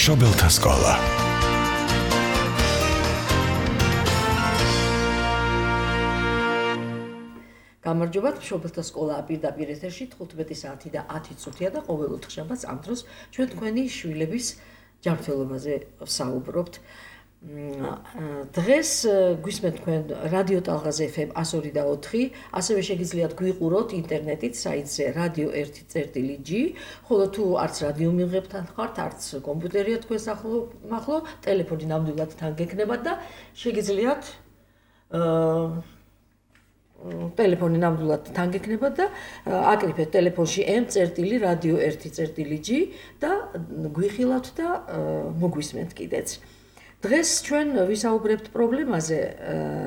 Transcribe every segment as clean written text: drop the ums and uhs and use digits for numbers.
მშობელთა სკოლა. გამარჯობათ, მშობელთა სკოლა პირდაპირ ეთერში 15 საათი და 10 წუთია და ყოველ ოთხშაბათს ამ დროს ჩვენ თქვენი შვილების ჯანმრთელობაზე ვსაუბრობთ. დღეს გვისმენთ თქვენ რადიო ტალღაზე FM 102.4, ასევე შეგიძლიათ გვიყუროთ ინტერნეტით საიტზე radio1.g, ხოლო თუ არც რადიო მიღებთან ხართ, არც კომპიუტერია თქვენს ახლო, ტელეფონი ნამდვილად თან გექნებათ და შეგიძლიათ ტელეფონი ნამდვილად თან გექნებათ და აკრიფეთ ტელეფონში m.radio1.g და გვიხილავთ და მოგვისმენთ კიდეც. დღეს ჩვენ ვისაუბრებთ პრობლემაზე,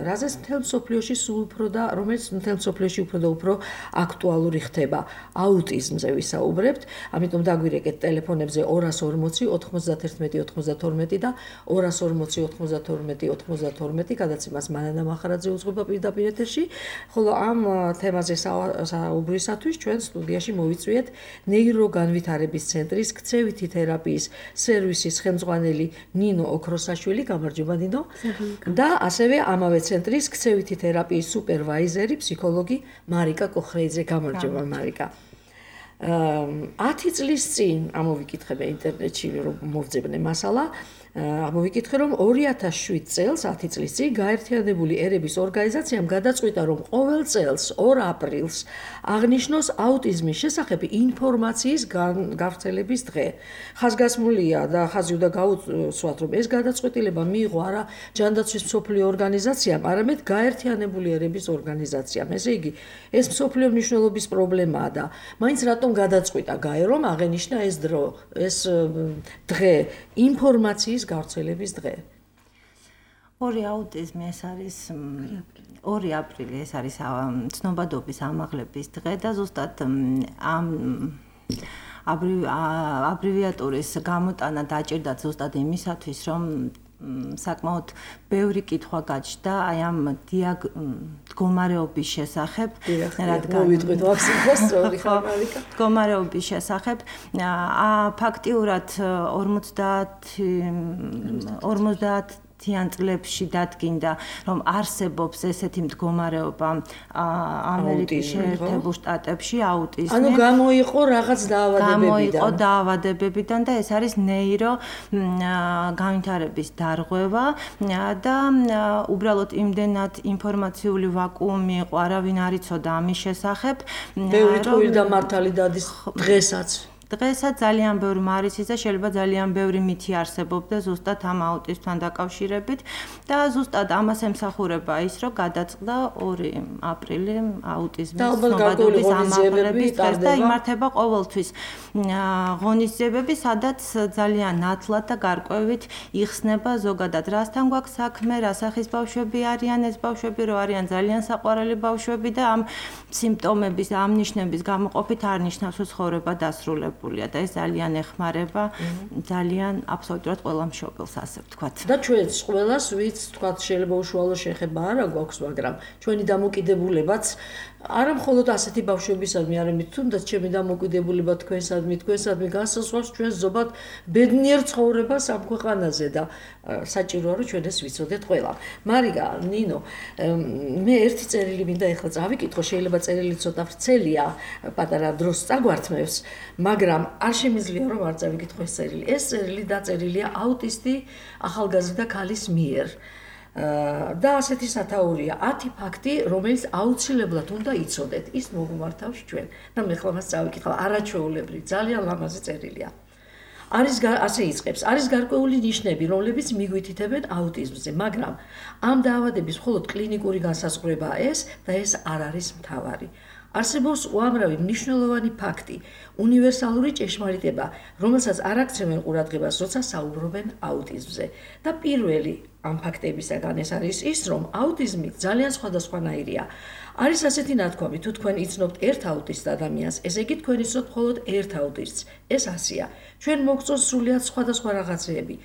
რაზეც მთელ მსოფლიოში სულ უფრო და რომელიც მთელ მსოფლიოში უფრო და უფრო აქტუალური ხდება. აუტიზმზე ვისაუბრებთ, ამიტომ დაგვირეკეთ ტელეფონებზე 240 91 92 და 240 92 92, გადაცემას მანანა მახარაძე უძღვება პირდაპირ ეთერში, ხოლო ამ თემაზე საუბრისათვის ჩვენ სტუდიაში მოვიწვიეთ ნეიროგანვითარების ცენტრის ქცევითი თერაპიის სერვისის ხელმძღვანელი ნინო ოქროსაშვილი, გამარჯობა ნინო. და ასევე ამავე ცენტრის ქცევითი თერაპიის სუპერვაიზერი, ფსიქოლოგი მარიკა კოხრეიძე, გამარჯობა მარიკა. 10 წლის წინ ამოვიკითხე ინტერნეტში რომ მოვძებნე მასალა, ამოვიკითხე რომ 2007 წელს 10 წლის წინ გაერთიანებული ერების ორგანიზაციამ გადაწყვიტა რომ ყოველ წელს 2 აპრილს აღნიშნოს აუტიზმის შესახებ ინფორმაციის გავრცელების დღე. ხაზგასმულია და ხაზი უნდა გაუცვათ რომ ეს გადაწყვეტილება მიიღო არა ჯანდაცვის მსოფლიო ორგანიზაციამ, არამედ გაერთიანებული ერების ორგანიზაციამ. ესე იგი, ეს მსოფლიო მნიშვნელობის პრობლემაა და მაინც რატომ გადაწყვიტა გაე რომ აღენიშნა ეს დრო, ეს დღე, ინფორმაციის გავრცელების დღე. 2 აუტიზმი ეს არის 2 აპრილი ეს არის ცნობადობის ამაღლების დღე და ზუსტად ამ აბრივიატურის გამოტანა დაჭირდათ ზუსტად იმისათვის რომ საკმაოდ ბევრი კითხვა გაჩნდა აი ამ მდგომარეობის შესახებ, რადგან მოვიტყვით ვაქცინას მდგომარეობის შესახებ. ფაქტიურად 50 წლებში დადგინდა რომ არსებობს ესეთი მდგომარეობა ამერიკის შეერთებულ შტატებში აუტიზმი. ანუ გამოიყო რაღაც დაავადებებიდან და ეს არის ნეირო განვითარების დარღვევა და უბრალოდ იმდენად ინფორმაციული ვაკუუმი იყო, არავინ არ იცოდა ამის შესახებ. ბევრი ტყუილი და მართალი დადის დღესაც ძალიან ბევრი მარიცის და შეიძლება ძალიან ბევრი მითი არსებობდა ზუსტად ამ აუტიზმთან დაკავშირებით და ზუსტად ამას ემსახურება ის, რომ გადაწყდა 2 აპრილი აუტიზმის ცნობადობის ამაღლების დღეს და იმართება ყოველთვის ღონისძიებები, სადაც ძალიან ნათლად და გარკვევით იხსნება ზოგადად რასთან გვაქვს საქმე, რა სახის ბავშვები არიან ეს ბავშვები, რომ არიან ძალიან საყვარელი ბავშვები და ამ სიმპტომების, ამ ნიშნების გამოყოფით არ ნიშნავს რომ ცხოვრება დასრულებულია. და ეს ძალიან ეხმარება ძალიან აბსოლუტურად ყველა მშობელს, ასე ვთქვათ. და ჩვენს ყველას, ვინც ვთქვათ, შეიძლება უშუალო შეხება არა გვაქვს, მაგრამ ჩვენი დამოკიდებულებაც არა მხოლოდ ასეთი ბავშვებისადმი, არამედ თუნდაც ჩემი დამოკიდებულება თქვენსადმი განსაზღვრავს ჩვენს ზოგად ბედნიერ ცხოვრებას ამ ქვეყანაზე და საჭიროა რომ ჩვენ ეს ვიცოდეთ ყველა. მარიკა, ნინო, მე ერთი წერილი მინდა ეხლა წავიკითხო, შეიძლება წერილი ცოტა ვრცელია, პატარა დროს წაგვართმევს, მაგრამ არ შემიძლია რომ არ წავიკითხო ეს წერილი. ეს წერილი დაწერილია აუტისტი ახალგაზრდა ქალის მიერ. და ასეთი სათაურია 10 ფაქტი, რომელიც აუცილებლად უნდა იცოდეთ. ის მოგმართავს ჩვენ. და მე ხლა მას წავიკითხავ, არაჩვეულებრივი, ძალიან ლამაზი წერილია. ასე იწყებს, არის გარკვეული ნიშნები, რომლებიც მიგვითითებენ აუტიზმზე, მაგრამ ამ დაავადების მხოლოდ კლინიკური განსაზღვრებაა ეს და ეს არ არის მთავარი. არსებობს უამრავი მნიშვნელოვანი ფაქტი, უნივერსალური ჭეშმარიტება, რომელსაც არ აქცევენ ყურადღებას, როცა საუბრობენ აუტიზმზე. და პირველი ამ ფაქტებისაგან ეს არის ის, რომ აუტიზმი ძალიან სხვადასხვანაირია. არის ასეთი ნათქვამი, თუ თქვენ იცნობთ ერთ აუტისტ ადამიანს, ესე იგი თქვენ იცნობთ მხოლოდ ერთ აუტისტს. ეს ასეა. ჩვენ მოგწონს სრულიად სხვადასხვა რაღაცეები.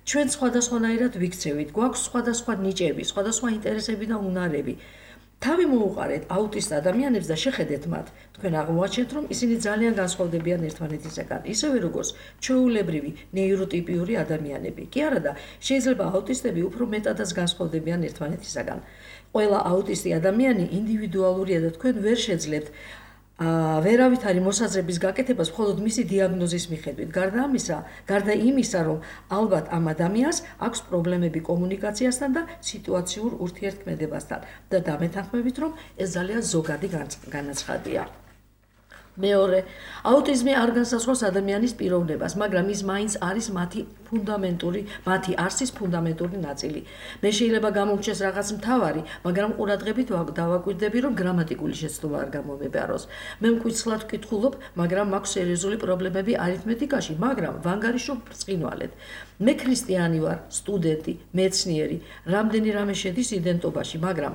ჩვენ სხვადასხვანაირად ვიქცევით, გვაქვს სხვადასხვა ნიჭები, სხვადასხვა ინტერესები და უნარები. თავი მოუყარეთ აუტისტ ადამიანებს და შეხედეთ მათ. თქვენ აღმოაჩენთ, რომ ისინი ძალიან განსხვავდებიან ერთმანეთისაგან, ისევე როგორც ჩვეულებრივი ნეიროტიპიური ადამიანები. კი არა და შეიძლება აუტისტები უფრო მეტადაც განსხვავდებიან ერთმანეთისაგან. ყველა აუტისტი ადამიანი ინდივიდუალურია და თქვენ ვერ შეძლებთ ვერავითარი მოსაზრების გაკეთებას მხოლოდ მისი დიაგნოზის მიხედვით. გარდა იმისა, რომ ალბათ ამ ადამიანს აქვს პრობლემები კომუნიკაციასთან და სიტუაციურ ურთიერთქმედებასთან და დამეთანხმებით, რომ ეს ძალიან ზოგადი განაცხადია. მეორე, აუტიზმი არ განსაზღვრავს ადამიანის პიროვნებას, მაგრამ ის მაინც არის მათი არსის ფუნდამენტური ნაწილი. მე შეიძლება გამომჩეს რაღაც მთავარი, მაგრამ ყურადღებით დავაკვირდები, რომ გრამატიკული შეცდომა არ გამომებაროს. მე მკითხვლად ვკითხულობ, მაგრამ მაქვს სერიოზული პრობლემები არითმეტიკაში, მაგრამ ვანგარიშობ ბრწყინვალედ. მე ქრისტიანი ვარ, სტუდენტი, მეცნიერი, რამდენი რამე შედის იდენტობაში, მაგრამ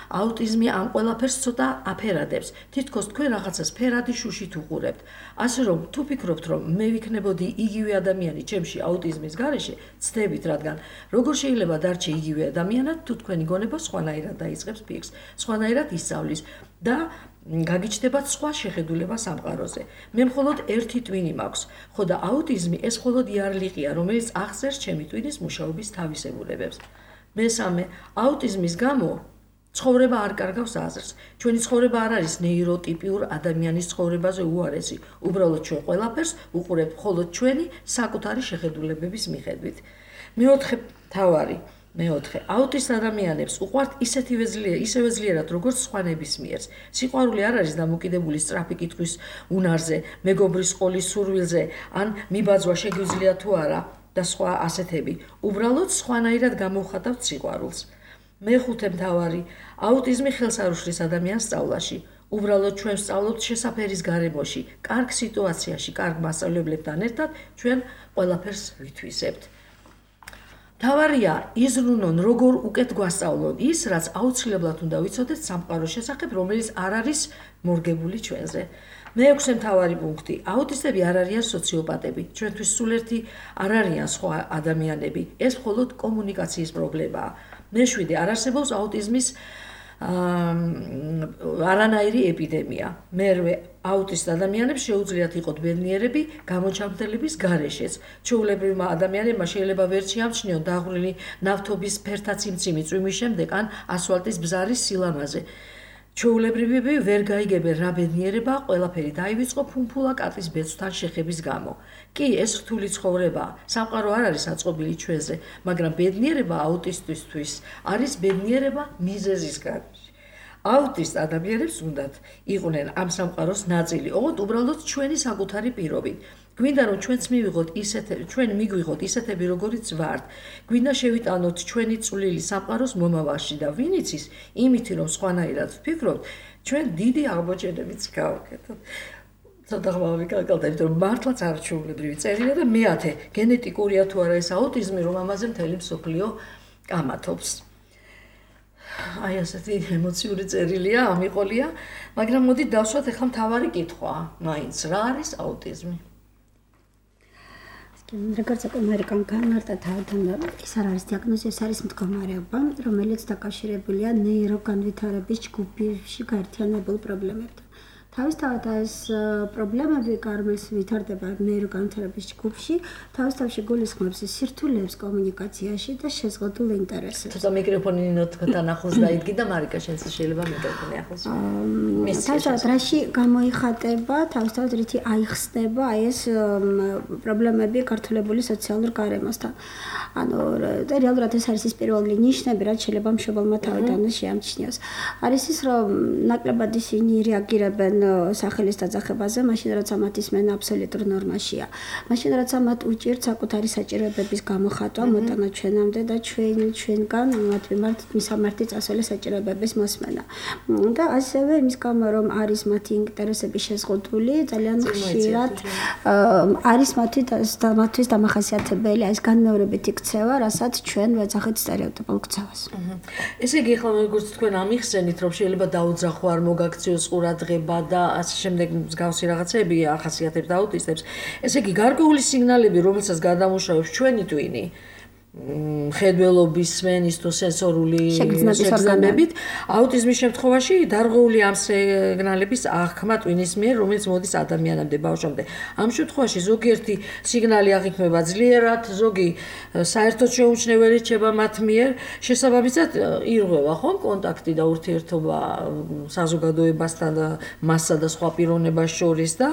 აუტიზმი ამ ყველაფერს ცოტა აფერადებს. თითქოს თქვენ რაღაცას ფერადი შუშით უყურებთ. ასე რომ, თუ ფიქრობთ, რომ მე ვიქნებოდი იგივე ადამიანი ჩემში აუტიზმის გარეშე, ცდებით, რადგან როგორ შეიძლება დარჩე იგივე ადამიანად, თუ თქვენი გონება სხვანაირად დაიწყებს ფიქრს, სხვანაირად ისწავლის და გაგიჩნდებათ სხვა შეხედულება სამყაროზე. მე მხოლოდ ერთი ტვინი მაქვს, ხო და აუტიზმი ეს მხოლოდ იარლიყია, რომელიც აღწერს ჩემი ტვინის მუშაობის თავისებურებებს. მესამე, აუტიზმის გამო ცხოვრება არ კარგავს აზრს. ჩვენი ცხოვრება არ არის ნეიროტიპიურ ადამიანის ცხოვრებაზე უარესი. უბრალოდ ჩვენ ყველაფერს უყურებთ მხოლოდ ჩვენი საკუთარი შეხედულებების მიხედვით. მეოთხე, აუტისტ ადამიანებს უყვართ ისევე ძლიერად, როგორც სხვა ნებისმიერს. სიყვარული არ არის დამოკიდებული სწრაფი კითხვის უნარზე, მეგობრის ყოლის სურვილზე, ან მიბაძვა შეგვიძლია თუ არა და სხვა ასეთები. უბრალოდ სხვანაირად გამოვხატავთ სიყვარულს. მეხუთე მთავარი, აუტიზმი ხელს არ უშლის ადამიანს სწავლაში. უბრალოდ ჩვენ ვსწავლობთ შესაფერის გარემოში, კარგ სიტუაციაში, კარგ მასწავლებლებთან ერთად ჩვენ ყველაფერს ვითვისებთ. მთავარია იზრუნონ, როგორ უკეთ გვასწავლონ ის, რაც აუცილებლად უნდა ვიცოდეთ სამყაროს შესახებ, რომელიც არ არის მორგებული ჩვენზე. მეექვსე მთავარი პუნქტი, აუტისტები არ არიან სოციოპატები, ჩვენთვის სულ ერთი არ არიან სხვა ადამიანები, ეს მხოლოდ კომუნიკაციის პრობლემაა. მეშვიდე, არ არსებობს აუტიზმის არანაირი ეპიდემია. მერვე, აუტისტ ადამიანებს შეუძლიათ იყოთ ბედნიერები გამოჩამთელების გარეშეც. ჩვეულებრივმა ადამიანებმა შეიძლება ვერ შეამჩნიონ დაღვრილი ნავთობის ფერთა ციმციმი წვიმის შემდეგ ან ასფალტის ბზარის სილამაზე. ჩვეულებრივები ვერ გაიგებენ რა ბედნიერებაა, ყველაფერი დაივიწყო ფუმფულა კატის ბეწვთან შეხების გამო. კი, ეს რთული ცხოვრებაა. სამყარო არ არის აწყობილი ჩვენზე, მაგრამ ბედნიერება აუტისტისთვის არის ბედნიერება მიზეზის გარეშე. აუტისტ ადამიანებს უნდათ იყვნენ ამ სამყაროს ნაწილი, ოღონდ უბრალოდ ჩვენი საკუთარი პირობით. გვინდა რომ ჩვენ მიგვიღოთ ისეთები, როგორიც ვართ. გვინდა შევიტანოთ ჩვენი წვლილი სამყაროს მომავალში და ვინ იცის, იმითი რომ სხვანაირად ვფიქრობთ, ჩვენ დიდი აღმოჩენებიც გავაკეთოთ. ცოტა ხმამი კაკალდა, იმიტომ რომ მართლაც არ ჩვეულებრივი წერილია და მეათე, გენეტიკურია თუ არა ეს აუტიზმი, რომ ამაზე მთელი მსოფლიო კამათობს. აი ასეთი ემოციური წერილია, ამიყოლია, მაგრამ მოდით დავსვათ ახლა მთავარი კითხვა, მაინც რა არის აუტიზმი? როგორც ამერიკან განმარტა თავიდან ის არ არის დიაგნოზი, ეს არის მდგომარეობა, რომელიც დაკავშირებულია ნეიროგანვითარების ჯგუფში გაერთიანებულ პრობლემებთან. თავისთავად ეს პრობლემები, რომელიც ვითარდება ნეიროგანვითარების ჯგუფში, თავისთავად გულისხმობს სირთულეებს კომუნიკაციაში და შეზღუდულ ინტერესებს. თუმცა მიკროფონი ნოტკთან ახლოს დაიდგი და მარიკა შენც შეიძლება მიკროფონი ახლოს. თავისთავად რაში გამოიხატება, თავისთავად რითი აიხსნება აი ეს პრობლემები გართულებული სოციალურ გარემოსთან. ანუ რეალურად ეს არის ის პირველი ნიშნები, რაც შეიძლება მშობელმა თავიდან შეამჩნიოს. არის ის, რომ ნაკლებად ისინი რეაგირებენ სახელის დაძახებაზე, მაშინ რაც ამათ ისმენ აბსოლუტურ ნორმაშია. მაშინ რაც ამათ უჭირთ საკუთარი საჭიროებების გამოხატვა, მოტანა ჩვენამდე და ჩვენგან მათ მიმართ მისამართი წასველი საჭიროებების მოსმენა. და ასევე იმის გამო, რომ არის მათი ინტერესების შეზღუდული, ძალიან ხშირად არის მათთვის დამახასიათებელი ეს განმეორებითი ქცევა, რასაც ჩვენ ვეძახით სტერეოტიპულ ქცევას. ესე იგი, ახლა როგორც თქვენ ამიხსენით, რომ შეიძლება დაუძახო არ მოგაქციოს ყურადღება და ასე შემდეგ მსგავსი რაღაცები ახასიათებს აუტისტებს. ესე იგი, გარკვეული სიგნალები, რომელსაც გადამუშავებს ჩვენი ტვინი, ხედველობის, სმენის თუ სენსორული შეგრძნებით. აუტიზმის შემთხვევაში დარღვეული ამ სიგნალების აღქმა ტვინის მიერ, რომელიც მოდის ადამიანამდე, ბავშვამდე. ამ შემთხვევაში ზოგიერთი სიგნალი აღიქმება ძლიერად, ზოგი საერთოდ შეუმჩნეველი რჩება მათ მიერ. შესაბამისად, ირღვევა ხომ კონტაქტი და ურთიერთობა საზოგადოებასთან, მასსა და სხვა პიროვნებას შორის და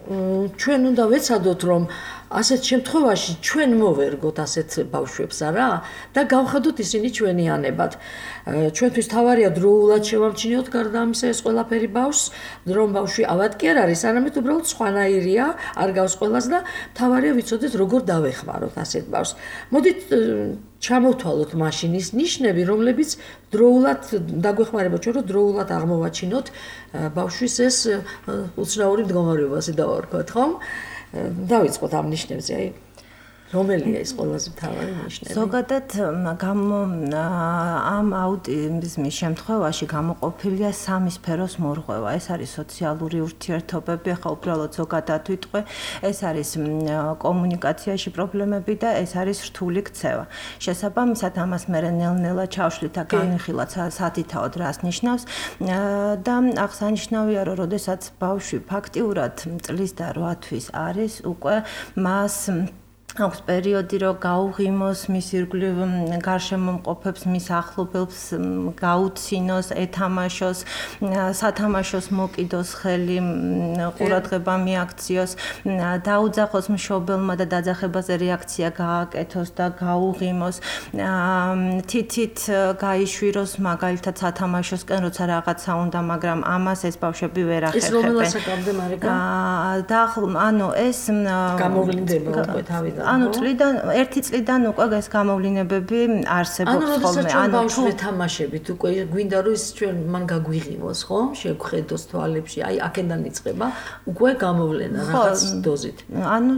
ჩვენ უნდა ვეცადოთ, რომ ასეთ შემთხვევაში ჩვენ მოვერგოთ ასეთ ბავშვებს არა და გავხედოთ ისინი ჩვენიანებად. ჩვენთვის თავარია დროულად შევამჩნიოთ გარდა ამისა ეს ყველაფერი ბავშვს, რომ ბავშვი ავად კი არ არის, არამედ უბრალოდ სხვანაირია, არ გავს ყველას და თავარია ვიცოდეთ როგორ დავეხმაროთ ასეთ ბავშვს. მოდით ჩამოვთვალოთ მაშინ ის ნიშნები, რომლებიც დროულად დაგვეხმარება ჩვენ, რომ დროულად აღმოვაჩინოთ ბავშვის ეს უცნაური მდგომარეობა, ასე დავარქვათ, ხომ? დავიწყოთ ამ ნიშნებზე, აი რომელია ის ყველაზე მთავარი ნიშნები? ზოგადად ამ აუტიზმის შემთხვევაში გამოყოფილია სამი სფეროს მორღვევა. ეს არის სოციალური ურთიერთობები, ახლა უბრალოდ ზოგადად ვიტყვე, ეს არის კომუნიკაციაში პრობლემები და ეს არის რთული ქცევა. შესაბამისად, ამას მე ნელ-ნელა ჩავშლით და განვიხილოთ სათითაოდ რას ნიშნავს და აღსანიშნავია, რომ როდესაც ბავშვი ფაქტიურად წლის და 8 თვის არის, უკვე მას აქვს პერიოდი, რომ გაუღიმოს მის ირგვლივ გარშემომყოფებს, მის ახლობელს გაუცინოს, ეთამაშოს, სათამაშოს მოკიდოს ხელი, ყურადღება მიაქციოს, დაუძახოს მშობელმა და დაძახებაზე რეაქცია გააკეთოს და გაუღიმოს, თითით გაიშვიროს მაგალითად სათამაშოსკენ, როცა რაღაცა უნდა, მაგრამ ამას ეს ბავშვები ვერ ახერხებენ. ეს რომელსაც აკამდე მარიკა? ანუ ეს გამოვლინდება უკვე თავიდან. ანუ ერთი წლიდან უკვე ეს გამოვლინებები არსებობს ხოლმე. ანუ თუ თამაშებით უკვე გვინდა რომ ის ჩვენ მან გაგვიღიმოს, ხო? შეგხედოს თვალებში, აი აქედან იწყება უკვე გამოვლენა რაღაც დოზით. ანუ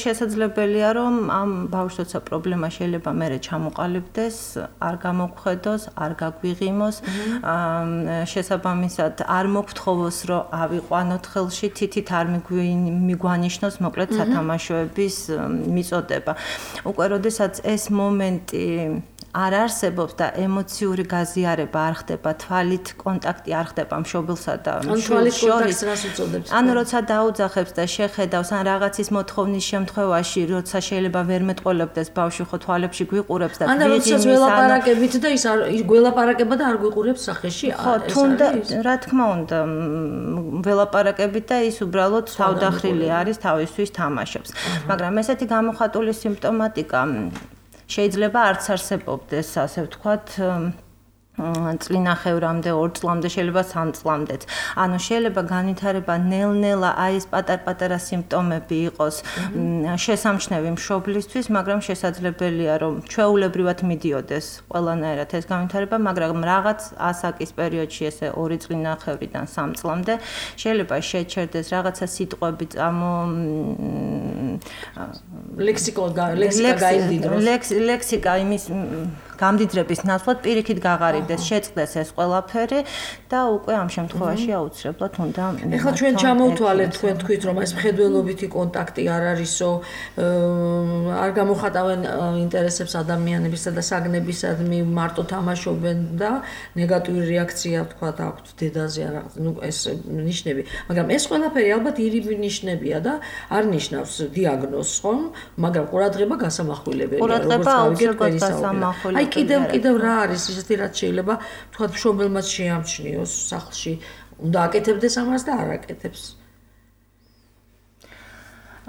შესაძლებელია რომ ამ ბავშვს როცა პრობლემა შეიძლება მერე ჩამოყალიბდეს, არ გამოგხედოს, არ გაგვიღიმოს, შესაბამისად არ მოგთხოვოს რომ ავიყვანოთ ხელში, თითით არ მიგვანიშნოს მოკლედ სათამაშოების მიწოდება. უკვე როდესაც ეს მომენტი არ არსებობს და ემოციური გაზიარება არ ხდება, თვალით კონტაქტი არ ხდება მშობელსა და შვილს შორის, რას უწოდებს? ანუ როცა დაუძახებს და შეხედავს, ან რაღაცის მოთხოვნის შემთხვევაში, როცა შეიძლება ვერ მეტყოლებდეს ბავშვი, ხო თვალებში გვიყურებს და ან როცა ველაპარაკებით და ის გველაპარაკება და არ გვიყურებს სახეში, ხო, თუნდა რა თქმა უნდა, ველაპარაკებით და ის უბრალოდ თავდახრილი არის, თავისთვის თამაშობს. მაგრამ ესეთი გამოხატული სიმპტომატიკა შეიძლება არც არსებობდეს, ასე ვთქვათ, წლინახევრამდე, 2 წლამდე, შეიძლება 3 წლამდეც. ანუ შეიძლება განვითარება ნელ-ნელა აი ეს პატარ-პატარა სიმპტომები იყოს შესამჩნევი მშობლისთვის, მაგრამ შესაძლებელია რომ ჩვეულებრივად მიდიოდეს ყველანაირად ეს განვითარება, მაგრამ რაღაც ასაკის პერიოდში ესე 2 წლინახევრიდან 3 წლამდე შეიძლება შეჩერდეს რაღაცა სიტყვები ლექსიკა გაიმდიდროს. ლექსიკა იმის გამდიდრების ნაცვლად პირიქით გაღარიბდეს, შეწყდეს ეს ყველაფერი და უკვე ამ შემთხვევაში აუცილებლად უნდა ეხლა ჩვენ ჩამოვთვალეთ, თქვენ თქვით რომ ეს მხედველობითი კონტაქტი არ არისო, არ გამოხატავენ ინტერესებს ადამიანებისა და საგნებისადმი, მარტო თამაშობენ და ნეგატიური რეაქცია თქვა აქვთ დედაზე რაღაც, ნუ ეს ნიშნები, მაგრამ ეს ყველაფერი ალბათ ირიბი ნიშნებია და არ ნიშნავს დიაგნოზს, ხომ? მაგრამ ყურადღება გასამახვილებელია, როგორც ავიგეთ გასამახვილებელი. კიდევ რა არის ისეთი რაც შეიძლება თქვა მშობელმაც შეამჩნიოს სახლში, უნდა აკეთებდეს ამას და არ აკეთებს.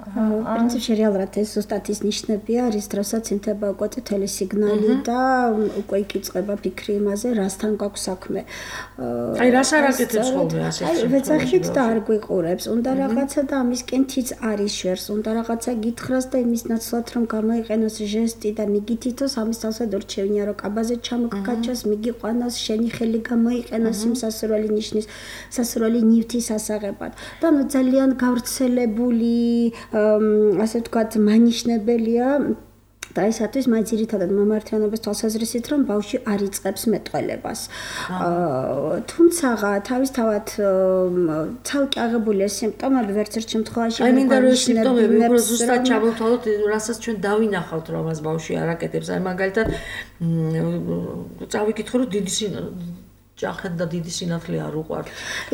პრინციპში რეალურად ეს ზუსტად ის ნიშნები არის, დროსაც ინთება უკვე წითელი სიგნალი და უკვე იქიწყება ფიქრი იმაზე, რასთან გაქვს საქმე. აი რას არ აკეთებს ხოლმე ასე? აი ვეძახით და არ გვიყურებს, უნდა რაღაცა და ამისკენ თიც არის შვერს, უნდა რაღაცა გითხრას და იმის ნაცვლად რომ გამოიყენოს ჟესტი და მიგითითოს, ამის თავსად ურჩევნია რომ კაბაზე ჩამოგკაჩოს, მიგიყვანოს, შენი ხელი გამოიყენოს იმ სასურველი ნიშნის, სასურველი ნივთის ასაღებად. და ნუ ძალიან გავრცელებული ასე ვთქვათ, მანიშნებელია და ისათვის მაინც ძირითადად მამართიანობის თვალსაზრისით რომ ბავშვი არ იწყებს მეტყველებას. თუმცა თავისთავად ცალკე აღებულია სიმპტომები ვერც ერთ შემთხვევაში აი მინდა რომ სიმპტომები უფრო ზუსტად ჩამოვთვალოთ, რასაც ჩვენ დავინახავთ რომ მას ბავშვი არ აკეთებს. აი მაგალითად წავიკითხო რომ დიდი ჯახეთ და დიდი სინათლე არ უყვართ.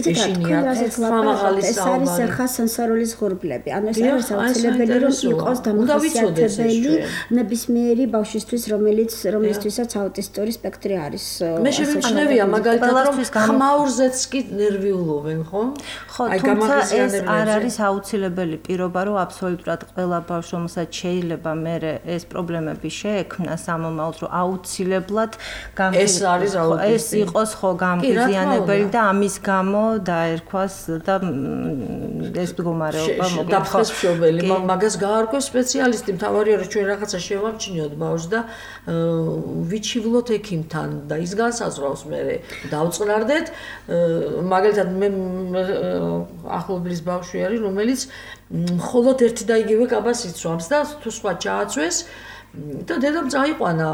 ეშინია ეს არის ხასენსორული ზღურბლები. ანუ ეს არის აუცილებელი რომ იყოს დამახასიათებელი ნებისმიერი ბავშვისთვის, რომლისთვისაც აუტისტური სპექტრი არის. მე შემიჩნევია მაგალითად რომ ხმაურზეც კი ნერვიულობენ, ხო? ხო, თუმცა ეს არ არის აუცილებელი პირობა, რომ აბსოლუტურად ყველა ბავშვს, რომელსაც შეიძლება მე ეს პრობლემები შეექმნა სამომავლოდ, რომ აუცილებლად ეს არის ეს იყოს ხო გამგზიანებელი და ამის გამო დაერქვას და ეს მდგომარეობა მოგდაფხეს მშობელი მაგას გაარკვევს სპეციალისტი მთავარია რომ ჩვენ რაღაცა შევამჩნიოთ ბავშვს და ვიჩივლოთ ექიმთან და ის განსაზღვრავს მე დავწყნარდეთ მაგალითად მე ახლობლის ბავშვი არის რომელიც მხოლოდ ერთი და იგივე კაბას იცვამს და თუ სხვა ჩააცვეს და დედამ წაიყვანა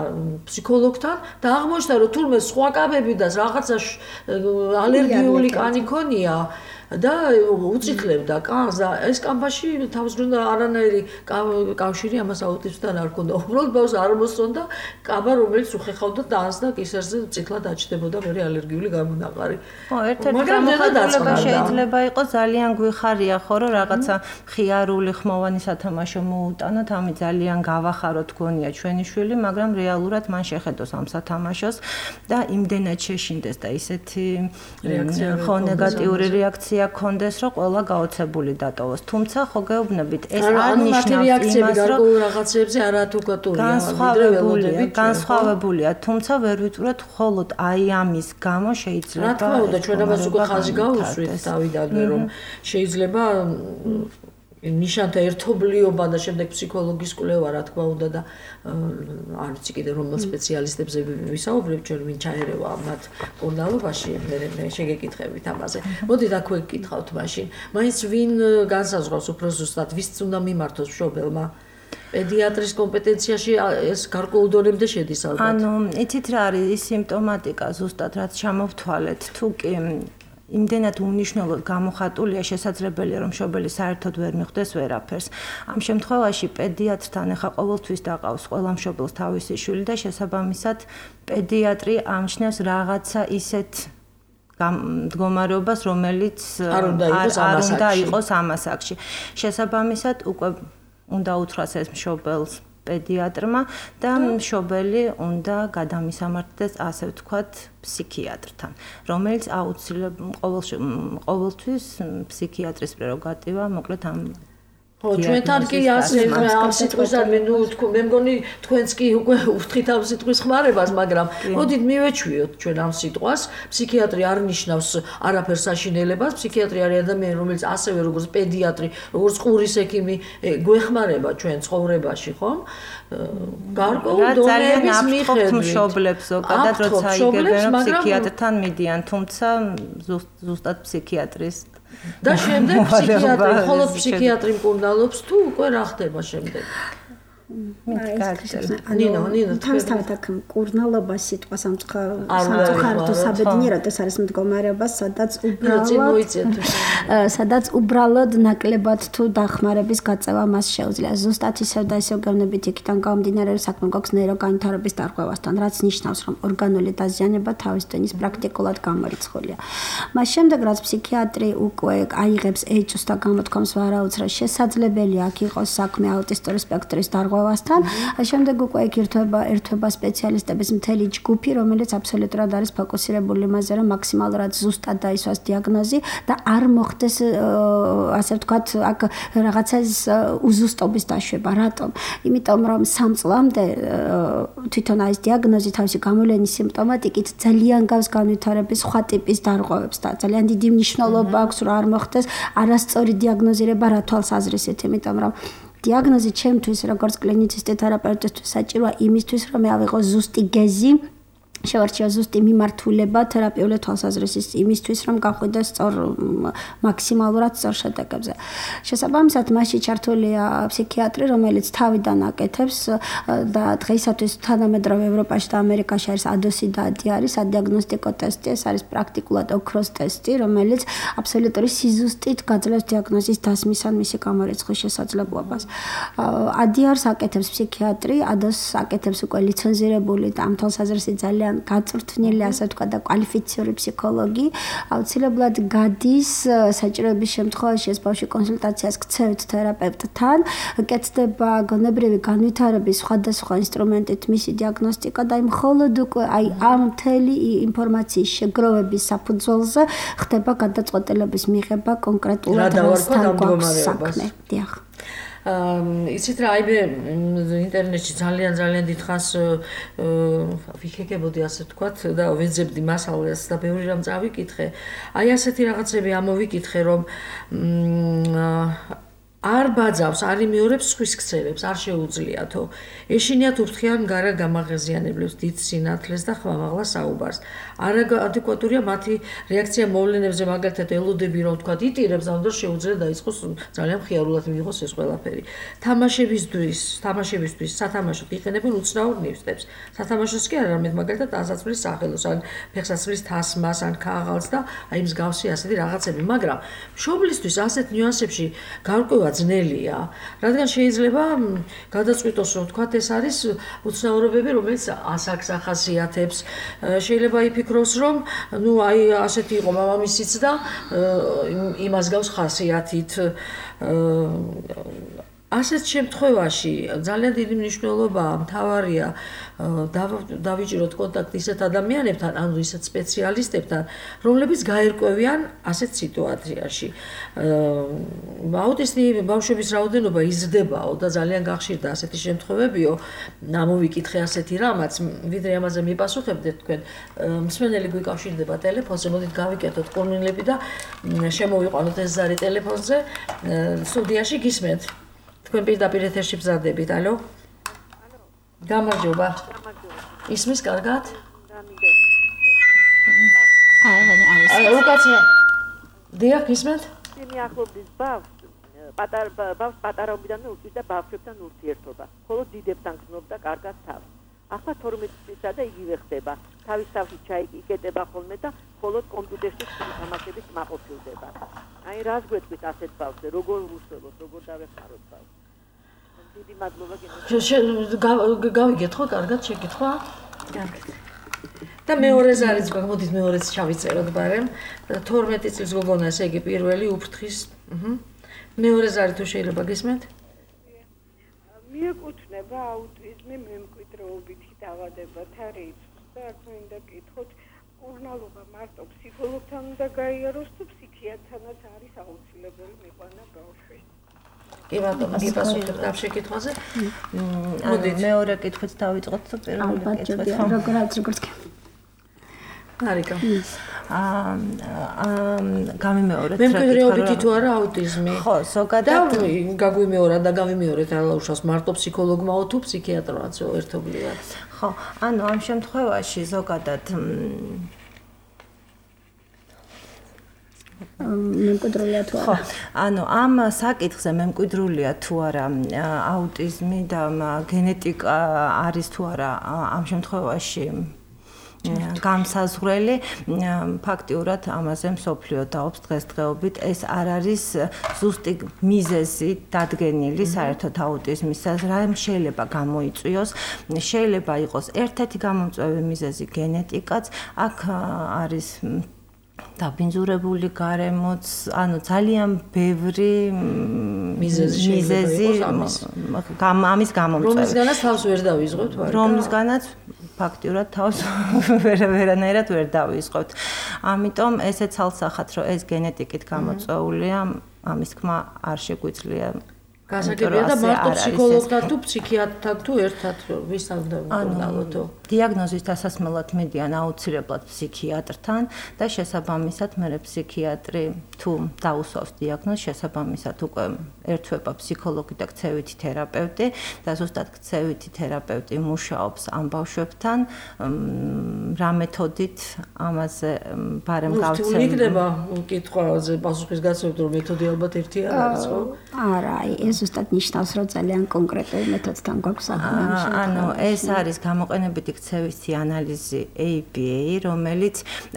ფსიქოლოგთან და აღმოჩნდა რომ თურმე სხვა კაბები და რაღაცა ალერგიული კანი ქონია და უწითლებდა კანს და ეს კამბაში თავს უნდა არანაირი კავშირი ამას აუტიზმთან არ ქონდა. უბრალოდ ბავშვს არ მოსწონდა კაბა რომელიც უხეხავდა დანს და კისერზე წითლად აჩდებოდა მე ალერგიული გამონაყარი. ხო, ერთ-ერთი გამოხატულება შეიძლება იყოს ძალიან გვიხარია ხო რომ რაღაცა ხიარული ხმოვანი სათამაშო მოუტანოთ, ამი ძალიან გავახაროთ გონია ჩვენი შვილი, მაგრამ რეალურად მან შეხედოს ამ სათამაშოს და იმდენად შეშინდეს და ისეთი ხო ნეგატიური რეაქცია კონდეს რომ ყველა გაოცებული დატოვოს. თუმცა ხო გეუბნებით ეს არ ნიშნავს იმას რომ რაღაცებზე არათუკატურია განსხვავებულია, თუმცა ვერ ვიწურეთ მხოლოდ აი ამის გამო შეიძლება რა თქმა უნდა ჩვენ ამას უკვე ხაზი გავუსვით დავიდანვე რომ შეიძლება ნიშანთა ერთობლიობა და შემდეგ ფსიქოლოგის კვლევა რა თქმა უნდა და არ ვიცი კიდე რომელ სპეციალისტებზე ვისაუბრებთ ჩვენ ვინ ჩაერევა მათ კურნალობაში მე შეგეკითხებით ამაზე. მოდით აქვე გკითხავთ მაშინ. მაინც ვინ განსაზღვრავს უფრო ზუსტად ვის უნდა მიმართოს მშობელმა? პედიატრის კომპეტენციაში ეს გარკვეულ დონემდე შედის ალბათ. ანუ იცით რა არის ის სიმპტომატიკა ზუსტად რაც ჩამოვთვალეთ თუ კი იმდენად უმნიშვნელოდ გამოხატულია შესაძლებელია რომ მშობელი საერთოდ ვერ მიხვდეს ვერაფერს. ამ შემთხვევაში პედიატრთან ახლა ყოველთვის დაყავს ყველა მშობელს თავისი შვილი და შესაბამისად პედიატრი ამჩნევს რაღაცა ისეთ მდგომარეობას რომელიც არ უნდა იყოს ამ ასაკში. შესაბამისად უკვე უნდა უთხრას ეს მშობელს პედიატრმა და მშობელი უნდა გადამისამართდეს ასე ვთქვათ ფსიქიატრთან, რომელიც აუცილებლად ყოველთვის ფსიქიატრის პრეროგატივა, მოკლედ ამ ხო, ჩვენთან კი ასე ამ სიტყვისგან მე მგონი თქვენც კი უკვე უთხრით ამ სიტყვის ხმარებას, მაგრამ მოდით მივეჩვიოთ ჩვენ ამ სიტყვას. ფსიქიატრი არ ნიშნავს არაფერს საშინელებას, ფსიქიატრი არის ადამიანი, რომელიც ასევე როგორც პედიატრი, როგორც ყურის ექიმი გვეხმარება ჩვენ ცხოვრებაში, ხომ? გარკვეულ დონეების მიხედვით მშობლებს ზოგადად როცა იგებენ რომ ფსიქიატრთან მიდიან, თუმცა ზუსტად ფსიქიატრის და შემდეგ ფსიქიატრი, მხოლოდ ფსიქიატრი მკურნალობს თუ უკვე რა ხდება შემდეგ? ნინო, თავისთავად აქ მკურნალობა სიტყვა სამწუხაროდ საბედნიერად ეს არის მდგომარეობა, სადაც უბრალოდ ნაკლებად თუ დახმარების გაწევა მას შეუძლია. ზუსტად ისევ და ისევ გეუბნებით იქიდან გამომდინარე რომ საქმე გვაქვს ნეიროგანვითარების დარღვევასთან, რაც ნიშნავს რომ ორგანული დაზიანება თავის დონის პრაქტიკულად გამორიცხულია. მას შემდეგ რაც ფსიქიატრი უკვე აიღებს ეჭვს და გამოთქვამს ვარაუდს, რომ შესაძლებელია აქ იყოს საქმე აუტისტური სპექტრის დარღვევასთან, შემდეგ უკვე იქ ერთვება სპეციალისტების მთელი ჯგუფი, რომელიც აბსოლუტურად არის ფოკუსირებული იმაზე, რომ მაქსიმალურად ზუსტად დაისვას დიაგნოზი და არ მოხდეს ასე ვთქვათ, აქ რაღაცას უზუსტობის დაშვება. რატომ? იმიტომ რომ 3 წლამდე თვითონ ეს დიაგნოზი თავისი გამოვლენის სიმპტომატიკით ძალიან გავს განვითარების სხვა ტიპის დარღვევებს და ძალიან დიდი მნიშვნელობა აქვს, რომ არ მოხდეს არასწორი დიაგნოზირება რა თვალსაზრისით, იმიტომ რომ დიაგნოზი ჩემთვის როგორც კლინიცისტი თერაპევტისთვის საჭიროა იმისთვის, რომ მე ავიღო ზუსტი გეზი შევარჩია ზუსტი მიმართულება თერაპიული თვალსაზრისის იმისთვის, რომ გახვიდოს სწორ მაქსიმალურად სწორ შედეგებზე. შესაბამისად, მასში ჩართულია ფსიქიატრი, რომელიც თავიდან აკეთებს და დღეისათვის თანამედროვე ევროპაში და ამერიკაში არის ADOS-ი და ADI არის ადიაგნოსტიკო ტესტი, ეს არის პრაქტიკულად ოქროს ტესტი, რომელიც აბსოლუტური სიზუსტით გაძლევს დიაგნოზის დასმის ან მისი გამორიცხვის შესაძლებლობას. ADI-ს აკეთებს ფსიქიატრი, ADOS-ს აკეთებს უკვე ლიცენზირებული და ამ თვალსაზრისით ძალიან გაწვრთნილი, ასე ვთქვა და კვალიფიციური ფსიქოლოგი, აუცილებლად გადის საჭიროების შემთხვევაში ეს ბავშვი კონსულტაციას გცევთ თერაპევტთან, კეთდება გონებრივი განვითარების სხვადასხვა ინსტრუმენტით მისი დიაგნოსტიკა და მხოლოდ უკვე ამ მთელი ინფორმაციის შეგროვების საფუძველზე ხდება გადაწყვეტილების მიღება კონკრეტულად რასთან გვაქვს საქმე. დიახ. იცით რა, აი მე ინტერნეტში ძალიან დიდხანს ვიქეკებოდი ასე ვთქვათ და ვეძებდი მასალას და ბევრი რამ წავიკითხე. აი ასეთი რაღაცები ამოვიკითხე, რომ არ ბაძავს, არ იმეორებს სხვის ქცევებს, არ შეუძლიათო. ეშინიათ უფრთხიან გარა გამაღაზიანებლებს, დიდ სინათლეს და ხმამაღლა საუბარს. არადეკვატურია მათი რეაქცია მოვლენებზე, მაგალითად ელოდები რომ ვთქვათ იტირებს, ამ დროს შეუძლია დაიწყოს ძალიან მხიარულად მიიღოს ეს ყველაფერი. თამაშებისთვის სათამაშოდ იყენებენ უცნაურ ნივთებს. სათამაშოს კი არა, რამედ მაგალითად ტანსაცმლის სახელოს, ან ფეხსაცმლის თასმას, ან ქაღალდს და აი მსგავსი ასეთი რაღაცები, მაგრამ მშობლისთვის ასეთ ნიუანსებში გარკვევა ძნელია, რადგან შეიძლება გადაწყვიტოს, რომ თქვათ ეს არის უცნაურობები, რომელიც ასაკს ახასიათებს. შეიძლება იფიქროს, რომ ნუ აი ასეთი იყო მამამისიც და იმას გავს ხასიათით. ასეთ შემთხვევაში ძალიან დიდი მნიშვნელობაა, მთავარია დავიჭიროთ კონტაქტი ისეთ ადამიანებთან, ანუ ისეთ სპეციალისტებთან, რომლებიც გაერკვევიან ასეთ სიტუაციაში. აუტისტი ბავშვების რაოდენობა იზრდებაო და ძალიან გახშირდა ასეთი შემთხვევებიო. ამოვიკითხე ასეთი რამაც, ვიდრე ამაზე მიპასუხებდეთ თქვენ, მსმენელი გვიკავშირდება ტელეფონზე, მოდით გავიკეთოთ კურნილები და შემოვიყვანოთ ეს ზარი ტელეფონზე, სტუდიაში გისმენთ. თქვენ პირდაპირ ეთერში ბზარდებით, ალო? გამარჯობა. ისმის კარგად? უკაცრა. დიახ, ისმენთ? იმი ახლობდის ბავშვს, პატარაობიდანვე უწევს და ბავშვებთან ურთიერთობა. ხოლო დიდებთან გრძნობდა კარგად თავს. ახლა 12 წლისა და იგივე ხდება. თავის თავში ჩაიკეტება ხოლმე და მხოლოდ კომპიუტერში თამაშებით მაყოფილდება. აი რას გვეთქვით ასეთ ბავშვზე, როგორ უსწავლოთ, როგორ დავეხმაროთ ბავშვს? დიდი მადლობა გავიგეთ ხო, კარგად შეკითხვა? კარგად. და მეორე ზარიც გვაქვს, მოდით მეორეც ჩავიწეროთ ბარემ. 12 წლის გოგონა, ესე იგი პირველი უფრთხის. მეორე ზარი თუ შეიძლება გისმენთ? მიეკუთვნება აუტიზმი მემკვიდრეობითი დაავადებათა რიცხვს და აქ მინდა კითხოთ, კურნალობა მარტო ფსიქოლოგთან უნდა გაიაროს თუ ფსიქიატრთანაც არის აუცილებელი მიყვანა ბავშვის? კი ბატონო, გიპასუხებთ ამ შეკითხვაზე? მოდით მეორე კითხვით დავიწყოთ თუ პირველი კითხვით ხო? როგორც არიკა. გამიმეორეთ მემკვიდრეობითი თუ არა აუტიზმი? ხო, ზოგადად გაგვიმეორა და გავიმეორეთ რა უშავს მარტო ფსიქოლოგმაო თუ ფსიქიატროაც ერთობლივად? ხო, ანუ ამ შემთხვევაში ზოგადად მემკვიდრულია თუ არა? ხო, ანუ ამ საკითხზე მემკვიდრულია თუ არა აუტიზმი და გენეტიკა არის თუ არა ამ შემთხვევაში გამსაზღვრელი, ფაქტიურად ამაზე მსოფლიო დაობს დღესდღეობით. ეს არ არის ზუსტი მიზეზი დადგენილი საერთოდ აუტიზმისა, რა შეიძლება გამოიწვიოს. შეიძლება იყოს ერთ-ერთი გამომწვევი მიზეზი გენეტიკაც, აქ არის დაბინძურებული გარემოც, ანუ ძალიან ბევრი მიზეზი ამის გამომწვევი. რომლისგანაც თავს ვერ დავიზღოთ, ვარ. რომლისგანაც ფაქტიურად თავს ვერანაირად ვერ დავიზღოთ. ამიტომ ესე ცალსახად, რომ ეს გენეტიკით გამოწვეულია, ამის თქმა არ შეგვიძლია გასაგებია და მარტო ფსიქოლოგთან თუ ფსიქიატრთან თუ ერთად ვისთან დავუყოვნალოდო. დიაგნოზის დასასმელად მიდიან აუცილებლად ფსიქიატრთან და შესაბამისად მე ფსიქიატრი თუ დაუსვავს დიაგნოზს, შესაბამისად უკვე ერთვება ფსიქოლოგი და ქცევითი თერაპევტი და ზუსტად ქცევითი თერაპევტი მუშაობს ამ ბავშვებთან, რა მეთოდით ამაზე ბარემ გავცემ. თუ იქნება კითხვაზე პასუხის გაცემით, რომ მეთოდი ალბათ ერთი არ არის, ხო? არა, ეს ზუსტად ნიშნავს, რომ ძალიან კონკრეტულ მეთოდთან გვაქვს საქმე. ანუ ეს არის გამოყენებითი ქცევითი ანალიზი ABA, რომელიც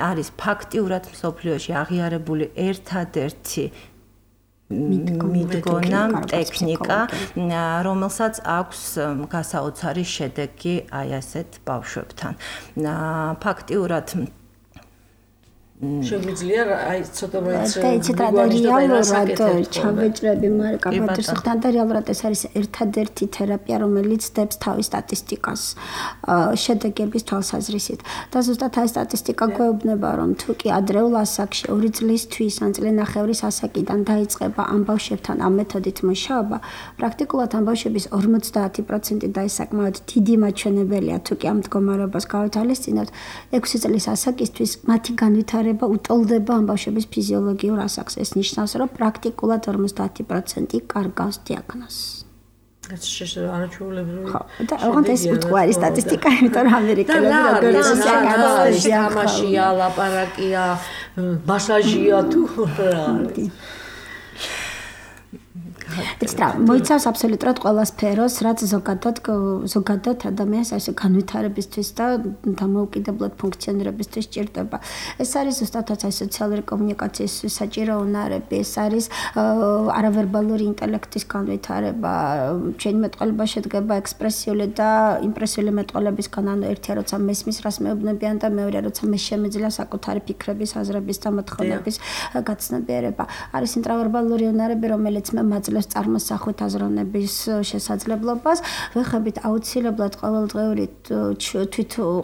არის ფაქტიურად მსოფლიოში აღიარებული ერთადერთი მიდგონა ტექნიკა, რომელსაც აქვს გასაოცარი შედეგი აი ასეთ ბავშვებთან. ფაქტიურად შეგვიძლია აი ცოტა რეალურად ჩავეჭრები მარკა პატრისთან და რეალურად ეს არის ერთადერთი თერაპია, რომელიც დებს თავის სტატისტიკას შედეგების თვალსაზრისით. და ზუსტად აი სტატისტიკა გვეუბნება, რომ თუ კი ადრეულ ასაკში 2 წლისთვის ან წლინახევრის ასაკიდან დაიწყება ამ ბავშვებთან ამ მეთოდით მუშაობა, პრაქტიკულად ამ ბავშვების 50% და ეს საკმაოდ დიდი მაჩვენებელია, თუ კი ამ მდგომარეობას გავითვალისწინებთ, 6 წლის ასაკისთვის მათი განვითარება უტოლდება ამ ბავშვების ფიზიოლოგიურ ასაკს. ეს ნიშნავს, რომ პრაქტიკულად 50% კარგავს დიაგნოზს. ეს არაჩვეულებრივი. ხო, და ოღონდ ეს უთქვარი სტატისტიკა, იმიტომ რომ ამერიკელები როგორც ამაშია, ლაპარაკია, მასაჟია თუ რა არის. ეცტრა მოიცავს აბსოლუტურად ყველა სფეროს, რაც ზოგადად ადამიანს ასე განვითარებისთვის და დამოუკიდებლად ფუნქციონირებისთვის ჭირდება. ეს არის ზუსტად აი სოციალური კომუნიკაციის საჭირო უნარები, ეს არის არავერბალური ინტელექტის განვითარება, ჩვენი მეტყველება შედგება ექსპრესიული და იმპრესიული მეტყველებისგან, ანუ ერთია როცა მესმის რას მეუბნებიან და მეორე როცა მე შემეძლია საკუთარი ფიქრების, აზრების და მოთხოვნების გაცნობიერება. არის ინტრავერბალური უნარები, რომელიც მე მაძლევს წარმოსახვით აზროვნების შესაძლებლობას, ვეხებით აუცილებლად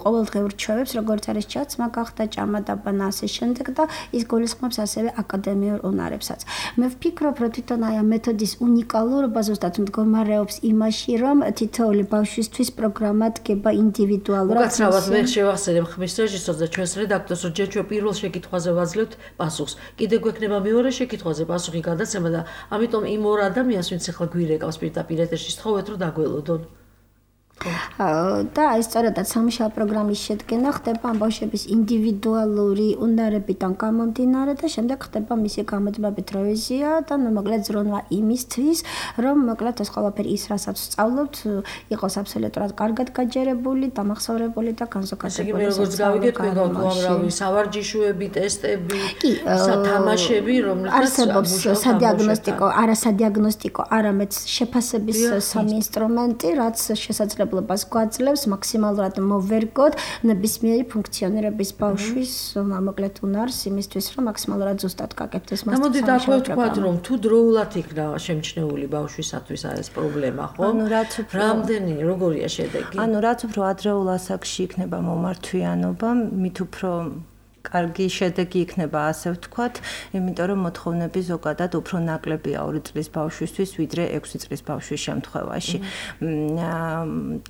ყოველდღიურ ჩვევებს, როგორც არის ჩაცმა, გახდა ჭამა და ბანა ასე შემდეგ და ის გულისხმობს ასევე აკადემიურ უნარებსაც. მე ვფიქრობ, რომ თვითონ აი ამ მეთოდის უნიკალურობა ზუსტად მდგომარეობს იმაში, რომ თითოეული ბავშვისთვის პროგრამა დგება ინდივიდუალურად. უკაცრავად მე შევახსენებ ხმის რეჟისორს და ჩვენს რედაქტორს, რომ ჯერ ჩვენ პირველ შეკითხვაზე ვაძლევთ პასუხს. კიდე გვექნება მეორე შეკითხვაზე პასუხი გადაცემა და ამიტომ იმ ორ ადამიანს, ვინც ახლა გვირეკავს პირდაპირ ეთერში, სთხოვეთ, რომ დაგველოდონ. და აი სწორედაც სამუშაო პროგრამის შედგენა ხდება ამ ბავშვების ინდივიდუალური უნარებიდან გამომდინარე და შემდეგ ხდება მისი გამოძმებით რევიზია და მოკლედ ზრუნვა იმისთვის, რომ მოკლედ ეს ყველაფერი ის, რასაც ვსწავლობთ, იყოს აბსოლუტურად კარგად გაჯერებული, დამახსოვრებული და განზოგადებული. ესე იგი, როგორც გავიგეთ, თქვენ გავთვალავი სავარჯიშოები, ტესტები, სათამაშები, რომლითაც არსებობს სადიაგნოსტიკო, არამედ შეფასების სამი ინსტრუმენტი, რაც შესაძლებელი გვაძლევს მაქსიმალურად მოვერგოთ ნებისმიერი ფუნქციონირების ბავშვის მოკლედ უნარს იმისთვის, რომ მაქსიმალურად ზუსტად გაკეთდეს მას. მოდით აქვე ვთქვათ, რომ თუ დროულად იქნა შემჩნეული ბავშვისათვის ეს პრობლემა, ხო? რამდენი, როგორია შედეგი? ანუ რაც უფრო ადრეულ ასაკში იქნება მომართვიანობა, მით უფრო კარგი შედეგი იქნება, ასე ვთქვათ, იმიტომ რომ მოთხოვნები ზოგადად უფრო ნაკლებია 2 წლის ბავშვისთვის, ვიდრე 6 წლის ბავშვის შემთხვევაში.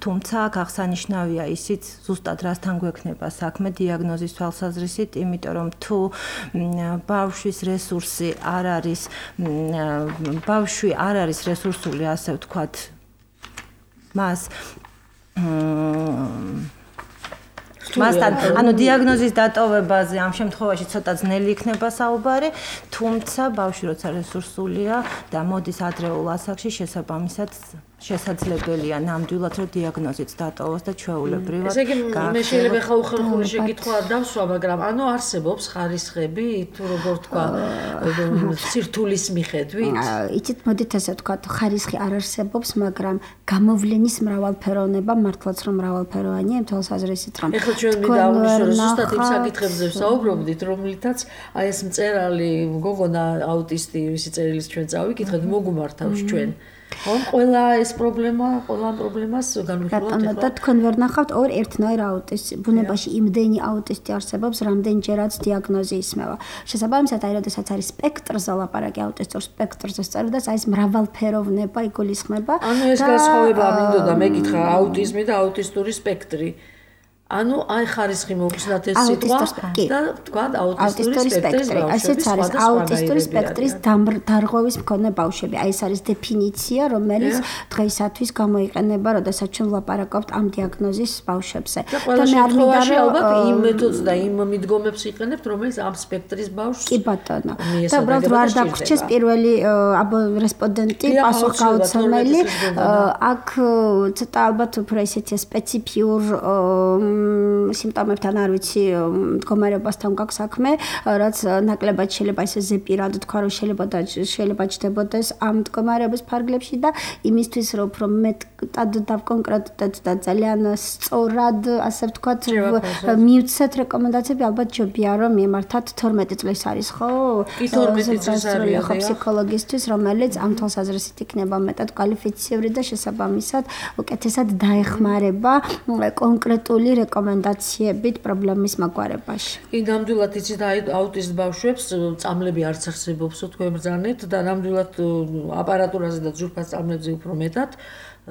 თუმცა აღსანიშნავია ისიც, ზუსტად რასთან გვექნება საქმე დიაგნოზის თვალსაზრისით, იმიტომ რომ თუ ბავშვის რესურსი არ არის, ბავშვი არ არის რესურსული, ასე ვთქვათ, მას მასთან, ანუ დიაგნოზის დატოვებაზე ამ შემთხვევაში ცოტა ძნელი იქნება საუბარი, თუმცა ბავშვი როცა რესურსულია და მოდის ადრეულ ასაკში, შესაბამისად შესაძლებელია ნამდვილად რომ დიაგნოზიც დატოვოს და ჩვეულებრივად. ესე იგი, მე შეიძლება ხა უხერხული შეკითხვა არ დავსვა, მაგრამ ანუ არსებობს ხარისხები, თუ როგორ თქვა, სირთულის მიხედვით? იცით, მოდით ასე ვთქვათ, ხარისხი არ არსებობს, მაგრამ გამოვლენის მრავალფეროვნება მართლაც რომ მრავალფეროვანია, იმ თვალსაზრისით რომ ეხლა ჩვენ დავნიშნო, რომ ზუსტად იმ საკითხებზე ვსაუბრობდით, რომლითაც აი ეს მწერალი გოგონა აუტისტი, ვისი წერილის ჩვენ წავიკითხეთ, მოგუმართავს ჩვენ. ყველა ეს პრობლემას განვიხილავთ და თქვენ ვერ ნახავთ ორ ერთნაირ აუტიზმს. ბუნებაში იმდენი აუტისტი არსებობს, რამდენჯერაც დიაგნოზი ისმევა. შესაბამისად, აი როდესაც არის სპექტრზე ლაპარაკი აუტისტურ სპექტრზე სწორედაც აი ეს მრავალფეროვნება იგულისხმება. ანუ ეს განსხვავება მინდოდა მეკითხა აუტიზმი და აუტისტური სპექტრი. ანუ აი ხარისხი მოგხსნათ ეს სიტყვა და თქვა აუტისტური სპექტრი. ასეც არის აუტისტური სპექტრის დარღვევის მქონე ბავშვები. აი ეს არის დეფინიცია, რომელიც დღეისათვის გამოიყენება, როდესაც ჩვენ ვლაპარაკობთ ამ დიაგნოზის ბავშვებზე. და მე არ მინდა ალბათ იმ მეთოდს და იმ მიდგომებს იყენებთ, რომელიც ამ სპექტრის ბავშვს კი ბატონო. და უბრალოდ რა არ დაგვრჩეს პირველი რესპონდენტი პასუხგაუცემელი. აქ ცოტა ალბათ უფრო ესეთი სპეციფიურ სიმპტომებთან არ ვიცი მდგომარეობასთან გაქვს საქმე, რაც ნაკლებად შეიძლება ესე ზეპირად თქვა, რომ შეიძლება ჩდებოდეს ამ მდგომარეობის ფარგლებში და იმისთვის რომ უფრო მეტად დავკონკრეტდეთ და ძალიან სწორად, ასე ვთქვათ, მივცეთ რეკომენდაციები, ალბათ ჯობია რომ მიმართათ 12 წლის არის, ხო? კი 12 წლის არის ხო ფსიქოლოგისტვის, რომელიც ამ თვალსაზრისით იქნება მეტად კვალიფიციური და შესაბამისად უკეთესად დაეხმარება კონკრეტული რეკომენდაციებით პრობლემის მაგვარებაში. კი, ნამდვილად იცით აუტიზმ ბავშვებს წამლები არც არსებობს თქვენ ბრძანეთ და ნამდვილად აპარატურაზე და ძვირფას წამლებზე უფრო მეტად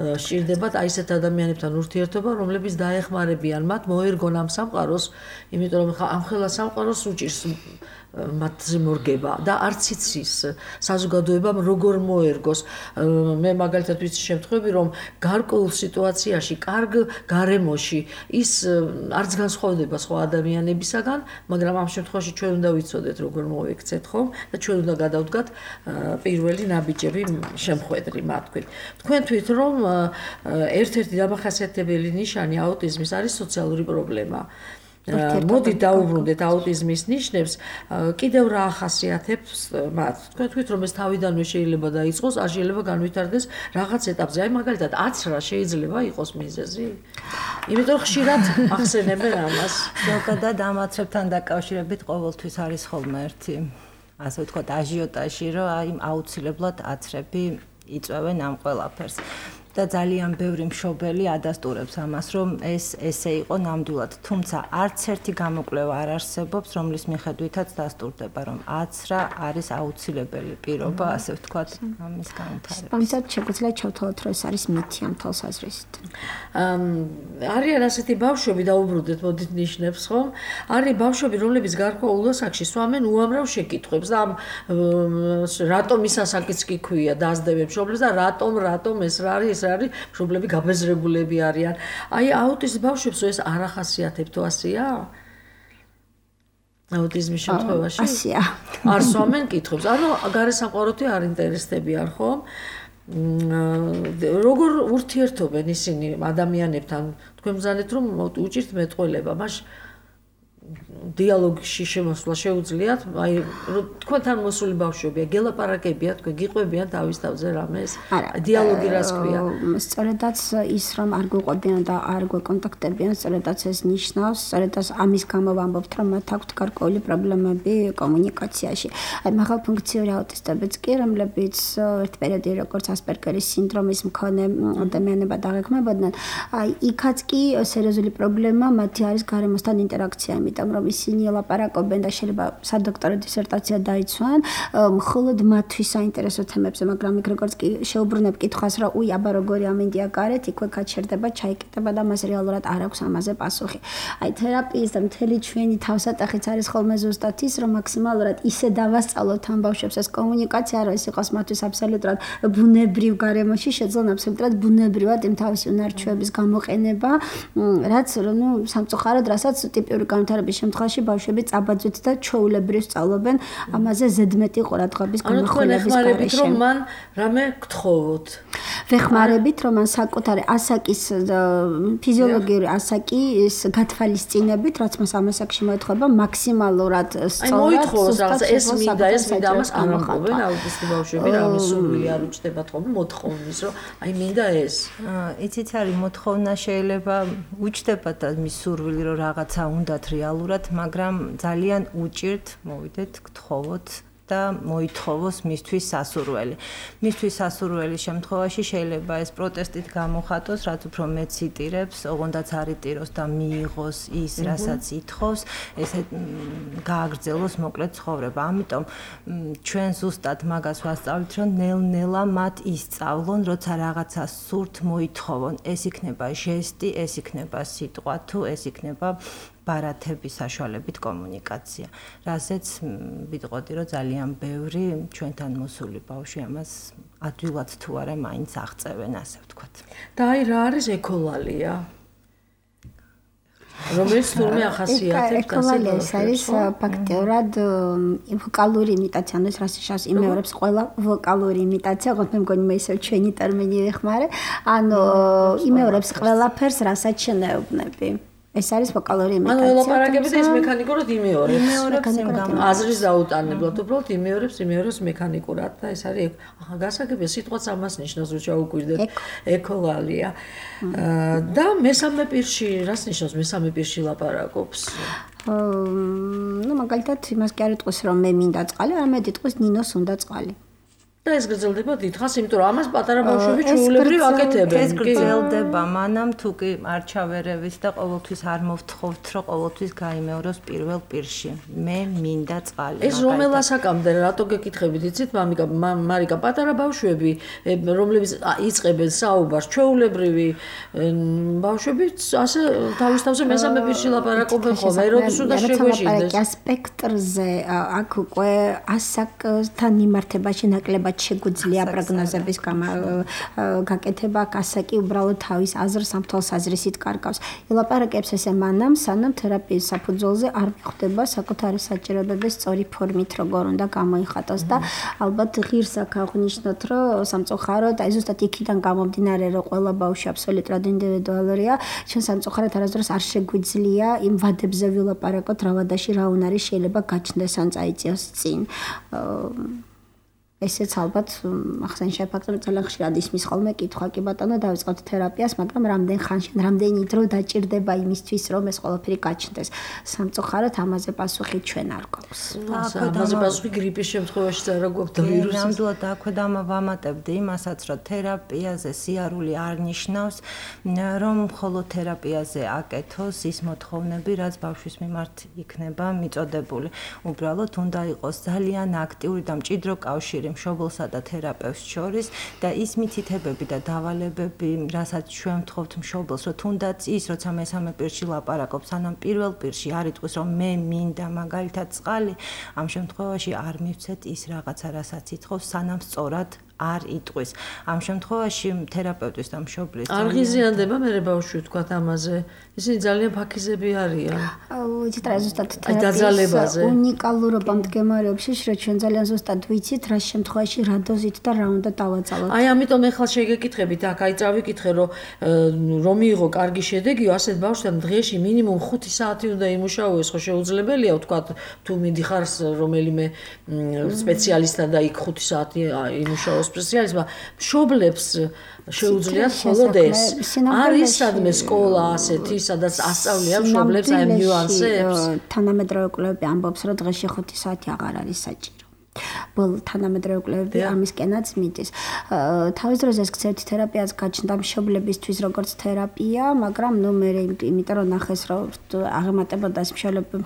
სჭირდებათ აი ესეთ ადამიანებთან ურთიერთობა, რომლებიც დაეხმარებიან მათ მოერგონ ამ სამყაროს, იმიტომ რომ ამ ხელა სამყაროს უჭირს მათზე მორგება და არც იცის საზოგადოებამ როგორ მოერგოს. მე მაგალითად ვიცი შემთხვევები, რომ გარკვეულ სიტუაციაში, კარგ გარემოში ის არც განსხვავდება სხვა ადამიანებისაგან, მაგრამ ამ შემთხვევაში ჩვენ უნდა ვიცოდეთ როგორ მოვექცეთ, ხო? და ჩვენ უნდა გადავდგათ პირველი ნაბიჯები შემხვედრი მათქვით. თქვენ თვით რომ ერთ-ერთი დამახასიათებელი ნიშანი აუტიზმის არის სოციალური პრობლემა. მოდი დაუბრუნდეთ აუტიზმის ნიშნებს, კიდევ რა ახასიათებს მათ. თქვენ თვით რომ ეს თავიდანვე შეიძლება დაიწყოს, არ შეიძლება განვითარდეს რაღაც ეტაპზე. აი მაგალითად 10 რა შეიძლება იყოს მიზეზი? იმიტომ რომ ხშირად ახსენებენ ამას. ზოგადად ამაცრებთან დაკავშირებით ყოველთვის არის ხოლმე ერთი, ასე ვთქვათ, აჟიოტაჟი, რომ აი აუცილებლად აცრები იწვევენ ამ ყველაფერს. და ძალიან ბევრი მშობელი ადასტურებს ამას, რომ ეს ესე იყო ნამდვილად, თუმცა არც ერთი გამოკვლევა არ არსებობს, რომლის მიხედვითაც დასტურდება, რომ აცრა არის აუცილებელი პირობა, ასე ვთქვათ, ამის განვითარებას. ამისად შეგვიძლია ჩავთვალოთ, რომ ეს არის მითი ამ თვალსაზრისით. არიან ასეთი ბავშვები, დაუბრუნდეთ მოდით ნიშნებს, ხო? არის ბავშვები, რომლებიც გარკვეულ ასაკში სვამენ უამრავ შეკითხვებს და ამ რატომ ის ასაკიც კი ქვია, დაასდევენ მშობლებს და რატომ ეს რა არის? არის მშობლები გაბეზრებულები არიან. აი აუტიზმ ბავშვებს ეს არ ახასიათებთ ასია? აუტიზმის შემთხვევაში? ასია. არ სვამენ კითხვებს. ანუ გარესამყაროთი არ ინტერესდებიან, ხო? როგორ ურთიერთობენ ისინი ადამიანებთან? თქვენ ბრძანეთ რომ უჭირთ მეტყველება, მაშ დიალოგში შემოსვლა შეუძლიათ, აი თქვენთან მოსული ბავშვებია, გელაპარაკებიან, თქვენ გიყვებიან თავის თავზე რამეს? დიალოგი რას ქვია? სწორედაც ის რომ არ გვიყვებიან და არ გვეკონტაქტებიან, სწორედაც ეს ნიშნავს, სწორედაც ამის გამო ვამბობთ, რომ მათ აქვთ გარკვეული პრობლემები კომუნიკაციაში. აი მაღალფუნქციური აუტისტებიც კი, რომლებიც ერთ პერიოდში როგორც ასპერგერის სინდრომის მქონე ადამიანებად დაგეგმებოდნენ, აი იქაც კი სერიოზული პრობლემა მათი არის გარემოსთან ინტერაქცია, იმიტომ რომ ისინი ლაპარაკობენ და შეიძლება სადოქტორო დისერტაცია დაიცვან მხოლოდ მათთვის საინტერესო თემებზე, მაგრამ იქ როგორც კი შეუბრუნებ კითხვას, რომ უი, აბა როგორი ამინდია გარეთ, იქვე გაჩერდება, ჩაიკეტება და მას რეალურად არ აქვს ამაზე პასუხი. აი თერაპიის და მთელი ჩვენი თავსატეხიც არის ხოლმე ზუსტად ის, რომ მაქსიმალურად ისე დავასწავლოთ ამ ბავშვებს ეს კომუნიკაცია, რომ ეს იყოს მათთვის აბსოლუტურად ბუნებრივ გარემოში, შეძლონ აბსოლუტურად ბუნებრივად იმ თავისი უნარჩვების გამოყენება, რაც სამწუხაროდ, რასაც ტიპიური განვითარების შემთხვევაში ბავშვები წაბაძვით და ჩვეულებრივ სწავლობენ ამაზე ზედმეტი ყურადღების გამახვილების გარეშე. რომ მან რამე გთხოვოთ. ვეხმარებით, რომ მან საკუთარი ასაკის ფიზიოლოგიური ასაკის გათვალისწინებით, რაც მას ამ ასაკში მოეთხოვება, მაქსიმალურად სწორად. აი მოითხოვოს რაღაც ეს მინდა ამას არ ამბობენ აუტისტი ბავშვები, რამე სურვილი არ უჩნდებათ ხოლმე მოთხოვნის, რომ აი მინდა ეს. იცით არის მოთხოვნა შეიძლება უჩნდებათ და მის სურვილი რომ რაღაცა უნდათ რეალურად, მაგრამ ძალიან უჭირთ, მოვიდეთ, გთხოვოთ და მოითხოვოს მისთვის სასურველი. მისთვის სასურველის შემთხვევაში შეიძლება ეს პროტესტით გამოხატოს, რაც უფრო მეც იტირებს, ოღონდაც არ იტიროს და მიიღოს ის, რასაც ითხოვს, ესე გააგრძელოს მოკლედ ცხოვრება. ამიტომ ჩვენ ზუსტად მაგას ვასწავლით, რომ ნელ-ნელა მათ ისწავლონ, როცა რაღაცა სურთ მოითხოვონ. ეს იქნება ჟესტი, ეს იქნება სიტყვა თუ ეს იქნება ბარათების საშუალებით კომუნიკაცია. რაზეც ვიტყოდი, რომ ძალიან ბევრი ჩვენთან მოსული ბავშვი ამას ადვილად თუ არა მაინც აღწევენ, ასე ვთქვათ. და აი რა არის ეკოლალია? რომელიც თურმე ახასიათებს ეკოლალია არის ფაქტიურად ვოკალური იმიტაცია, ანუ ეს რასაც იმეორებს ყველა ვოკალური იმიტაცია, ოღონდ მე მგონი მე ისევ ჩვენი ტერმინი ვეხმარე, ანუ იმეორებს ყველაფერს, რასაც შენეობნები. ეს არის ვოკალური იმიტაცია. ანუ ელაპარაკებით ეს მექანიკურად იმეორებს. იმეორებს იმ გამო. აზრის დაუტანებლად, უბრალოდ იმეორებს მექანიკურად და ეს არის გასაგებია სიტყვაც ამას ნიშნავს, რომ ჩაუკვირდეთ ეკოლალია. და მესამე პირში რას ნიშნავს მესამე პირში ლაპარაკობს? ნუ მაგალითად იმას კი არ იტყვის რომ მე მინდა წყალი, არამედ იტყვის ნინოს უნდა წყალი. და ეს გრძელდება დიდხანს, იმიტომ რომ ამას პატარა ბავშვები ჩვეულებრივ აკეთებენ. ეს გრძელდება მანამ თუ კი არ ჩავერევით და ყოველთვის არ მოვთხოვთ, რომ ყოველთვის გაიმეოროს პირველ პირში. მე მინდა წყალი. ეს რომელ ასაკამდე რატო გეკითხებით, იცით, მარიკა, პატარა ბავშვები, რომლებიც იწყებენ საუბარს, ჩვეულებრივი ბავშვები ასე თავისთავად მესამე პირში ლაპარაკობენ ხოლმე, როდის უნდა შეგვეშინდეს. სპექტრზე აქ უკვე ასაკთან მიმართებაში ნაკლებად შეგვიძლია პროგნოზების გაკეთება, ასაკი უბრალოდ თავის აზრს ამ თვალსაზრისით კარგავს. ელაპარაკებს ესე მანამ, სანამ თერაპიის საფუძველზე არ მიხვდება საკუთარი საჭიროებების სწორი ფორმით როგორ უნდა გამოიხატოს და ალბათ ღირს აქ აღნიშნოთ, რომ სამწუხაროდ აი ზუსტად იქიდან გამომდინარე, რომ ყველა ბავშვი აბსოლუტურად ინდივიდუალურია, ჩვენ სამწუხაროდ არასდროს არ შეგვიძლია იმ ვადებზე ვილაპარაკოთ, რა ვადაში რა უნარი შეიძლება გაჩნდეს ან წაიწიოს წინ. ესეც ალბათ ახსენ შეფაქტობ ძალიან ხშირად ისმის ხოლმე კითხვა კი ბატონო დავიწყოთ თერაპიას, მაგრამ რამდენ ხანში, რამდენი დრო დაჭირდება იმისთვის, რომ ეს ყველაფერი გაჩნდეს. სამწუხაროდ ამაზე პასუხი ჩვენ არ გვაქვს. ამაზე პასუხი გრიპის შემთხვევაში არა გვაქვს და ვირუსის. ნამდვილად აქვე დავამატებდი იმასაც, რომ თერაპიაზე სიარული არ ნიშნავს, რომ მხოლოდ თერაპიაზე აკეთოს ის მოთხოვნები, რაც ბავშვის მიმართ იქნება მიწოდებული. უბრალოდ უნდა იყოს ძალიან აქტიური და მჭიდრო კავშირი მშობლსა და თერაპევტს შორის და ის მითითებები და დავალებები, რასაც ჩვენ ვთხოვთ მშობლს, რომ თუნდაც ის, როცა მესამე პირში ლაპარაკობს, სანამ პირველ პირში არ იტყვის, რომ მე მინდა მაგალითად წყალი, ამ შემთხვევაში არ მივცეთ ის რაღაცა, რასაც ითხოვს, სანამ სწორად არ იტყვის. ამ შემთხვევაში თერაპევტის და მშობლის არ ღიზიანდება მე ბავშვი ვთქვათ ამაზე. ისინი ძალიან ფაქიზები არიან. ვიცით რა ზუსტად თერაპიის უნიკალურობა მდგომარეობს, რომ ჩვენ ძალიან ზუსტად ვიცით რა შემთხვევაში რა დოზით და რა უნდა დავაწალოთ. აი ამიტომ ახლა შეგეკითხებით, აქ აი წავიკითხე, რომ მიიღო კარგი შედეგი, ასეთ ბავშვთან დღეში მინიმუმ 5 საათი უნდა იმუშაოს, ხო შეუძლებელია ვთქვათ, თუ მიდიხარ რომელიმე სპეციალისტთან და იქ 5 საათი იმუშაოს სპეციალისტმა, მშობლებს შეუძლიათ მხოლოდ ეს. არის სადმე სკოლა ასეთი, სადაც ასწავლიან მშობლებს აი ნიუანსებს. თანამედროვე კვლევები ამბობს, რომ დღეში 5 საათი აღარ არის საჭირო. ბოლო თანამედროვე კვლევები ამისკენაც მიდის. თავის დროზე ეს გზეთი თერაპიას გაჩნდა მშობლებისთვის როგორც თერაპია, მაგრამ ნუ მე იმიტომ რომ ნახეს რომ აღემატებოდა ეს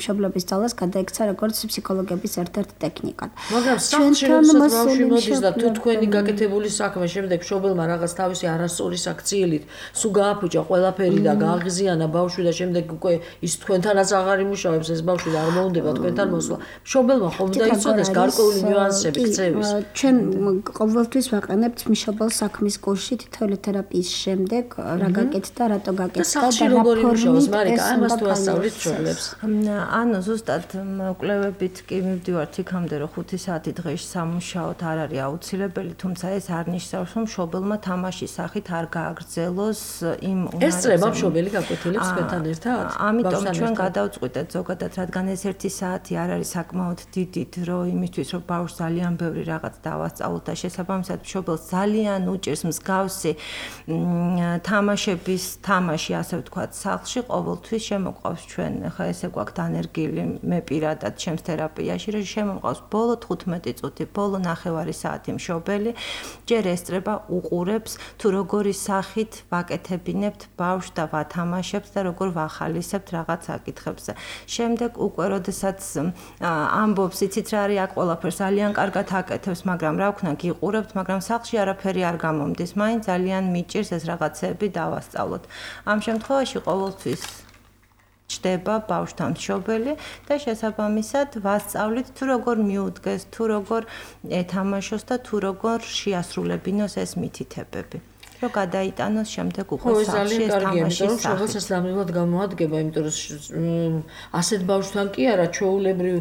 მშობლების ძალას გადაიქცა როგორც ფსიქოლოგების ერთ-ერთ ტექნიკად. მაგრამ სახლში როდესაც ბავშვი მოდის და თუ თქვენი გაკეთებული საქმე შემდეგ მშობელმა რაღაც თავისი არასწორი საქციელით სულ გააფუჭა ყველაფერი და გააღიზიანა ბავშვი და შემდეგ უკვე ის თქვენთანაც აღარ იმუშავებს ეს ბავშვი და არ მოუნდება თქვენთან მოსვლა. მშობელმა ხომ უნდა იცოდეს გარკვეული ნიუანსები ქცევის. ჩვენ ყოველთვის ვაყენებთ მშობელს საქმის კურსში თითოეული თერაპიის შემდეგ რა გაკეთდა, რატო გაკეთდა და როგორ იმუშავოს, მარიკა, ამას თუ ასწავლით მშობლებს. ანუ ზუსტად კვლევებით კი მივდივართ იქამდე, რომ 5 საათი დღეში სამუშაოდ არ არის აუცილებელი, თუმცა ეს არ ნიშნავს, რომ მშობელმა თამაშის სახით არ გააგრძელოს იმ უნარებზე. ეს წრება მშობელი გაკვეთილებს თქვენთან ერთად? ამიტომ ჩვენ გადავწყვიტეთ ზოგადად, რადგან ეს 1 საათი არ არის საკმაოდ დიდი დრო იმისთვის, რომ ბავშვს ძალიან ბევრი რაღაც დავასწავლოთ და შესაბამისად მშობელს ძალიან უჭირს მსგავსი თამაშების თამაში, ასე ვთქვათ, სახლში ყოველთვის შემოყვავს ჩვენ, ხა ესე გვაქვს დანერგილი მე პირადად ჩემს თერაპიაში, რომ შემოყვავს ბოლო 15 წუთი, ბოლო 9 საათი მშობელი, ჯერ ესწრება, უყურებს, თუ როგორი სახით ვაკეთებინებთ ბავშვს და ვათამაშებთ და როგორ ვახალისებთ რაღაც საკითხებზე. შემდეგ უკვე როდესაც ამბობს, იცით რა არის, აქ ყველაფერს ძალიან კარგად აკეთებს, მაგრამ რა ვქნა, გიყურებთ, მაგრამ სახლში არაფერი არ გამომდის, მაინც ძალიან მიჭირს ეს რაღაცები დავასწავლოთ. ამ შემთხვევაში ყოველთვის ჩდება ბავშვთან მშობელი და შესაბამისად ვასწავლით თუ როგორ მიუდგეს, თუ როგორ ეთამაშოს და თუ როგორ შეასრულებინოს ეს მითითებები. რომ გადაიტანოს შემდეგ უკვე სახლში ეს თამაში. შეგოს ეს დამილად გამოადგება, იმიტომ რომ ასეთ ბავშვთან კი არა, ჩვეულებრივ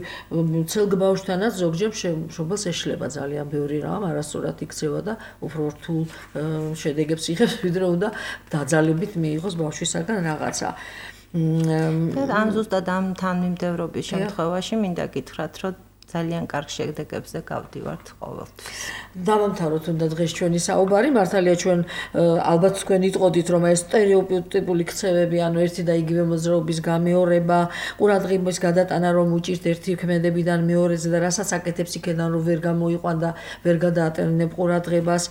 ცელგ ბავშვთანაც ზოგჯერ მშობელს ეშლება ძალიან ბევრი რამ, არასწორად იქცევა და უფრო რთულ შედეგებს იღებს, ვიდრე უნდა დაძალებით მიიღოს ბავშვისაგან რაღაცა. ამ ზუსტად ამ თანმიმდევრობის შემთხვევაში მინდა გითხრათ, რომ ძალიან კარგ შედეგებზე გავდივართ ყოველთვის. დავამთავროთ უნდა დღეს ჩვენი საუბარი, მართალია ჩვენ ალბათ თქვენ იტყოდით, რომ ეს სტერეოტიპული ქცევები, ანუ ერთი და იგივე მოძრაობის გამეორება, ყურადღების გადატანა რომ უჭირთ ერთი ქმედებიდან მეორეზე და რასაც აკეთებს იქიდან რომ ვერ გამოიყვან და ვერ გადაატენებ ყურადღებას,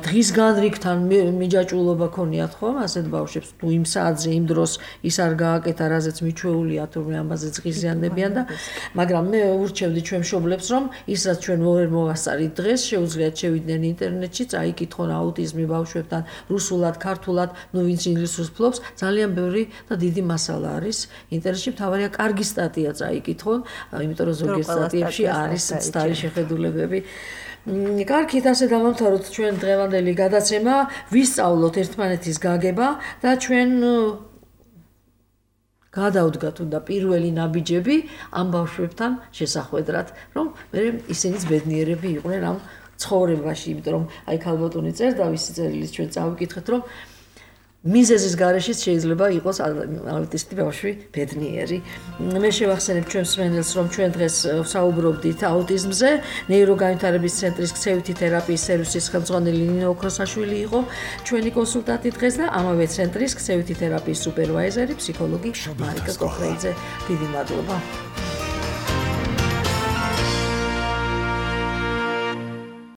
დღის განრიგთან მიჯაჭულობა ქონიათ ხომ ასეთ ბავშვებს, თუ იმ საათზე იმ დროს ის არ გააკეთა, რაზეც მიჩვეულია, თურმე ამაზე ზღიზიანდებიან და მაგრამ მე ურჩევდი ჩვენ მშობლებს, რომ ისაც ჩვენ ვერ მოვასწარით დღეს, შეუძლიათ შევიდნენ ინტერნეტში, წაიკითხონ აუტიზმი ბავშვებთან, რუსულად, ქართულად, ნუ ვინც ინგლისურს ფლობს, ძალიან ბევრი და დიდი მასალა არის ინტერნეტში, მთავარია კარგი სტატია წაიკითხონ, იმიტომ რომ ზოგიერთ სტატიებში არის ცდარი შეხედულებები. კარგით, ასე დავამთავროთ ჩვენ დღევანდელი გადაცემა, ვისწავლოთ ერთმანეთის გაგება და ჩვენ გადავდგათ უნდა პირველი ნაბიჯები ამ ბავშვებთან შესახვედრად, რომ მე ისინიც ბედნიერები იყვნენ ამ ცხოვრებაში, იმიტომ რომ აი ქალბატონი წერდა ვისი წერილიც ჩვენ წავიკითხეთ, რომ მიზეზის გარეშეც შეიძლება იყოს აუტისტი ბავშვი ბედნიერი. მე შევახსენებ ჩვენს მსმენელს, რომ ჩვენ დღეს საუბრობდით აუტიზმზე, ნეიროგანვითარების ცენტრის ქცევითი თერაპიის სერვისის ხელმძღვანელი ნინო ოქროსაშვილი იყო ჩვენი კონსულტანტი დღეს და ამავე ცენტრის ქცევითი თერაპიის სუპერვაიზერი ფსიქოლოგი მარიკა კოხრეიძე. დიდი მადლობა.